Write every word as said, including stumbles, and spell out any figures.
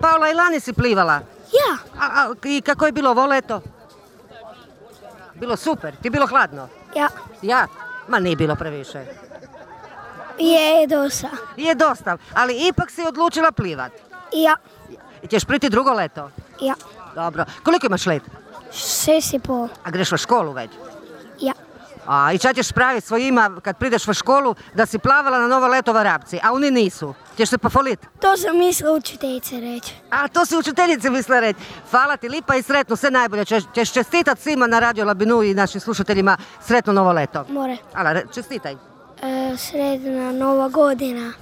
Paola, i lani si plivala? Ja. A, a, I kako je bilo ovo leto? Bilo super, ti bilo hladno? Ja. Ja? Ma nije bilo previše. Je dosta. Je dosta, ali ipak si odlučila plivat. Ja. I ćeš priti drugo leto? Ja. Dobro. Koliko imaš let? Šest i pol. A greš u školu već? Ja. A i šta ćeš praviti svojima kad prideš u školu da si plavala na novo leto Varapci, a oni nisu? Ćeš se pofolit? To sam mislila učiteljice reći. A to si učiteljice mislila reći. Hvala ti lipa i sretno, sve najbolje. Ćeš, ćeš čestitat svima na Radio Labinu i našim slušateljima sretno novo leto. More. Ala, čestitaj. E, sredna nova godina.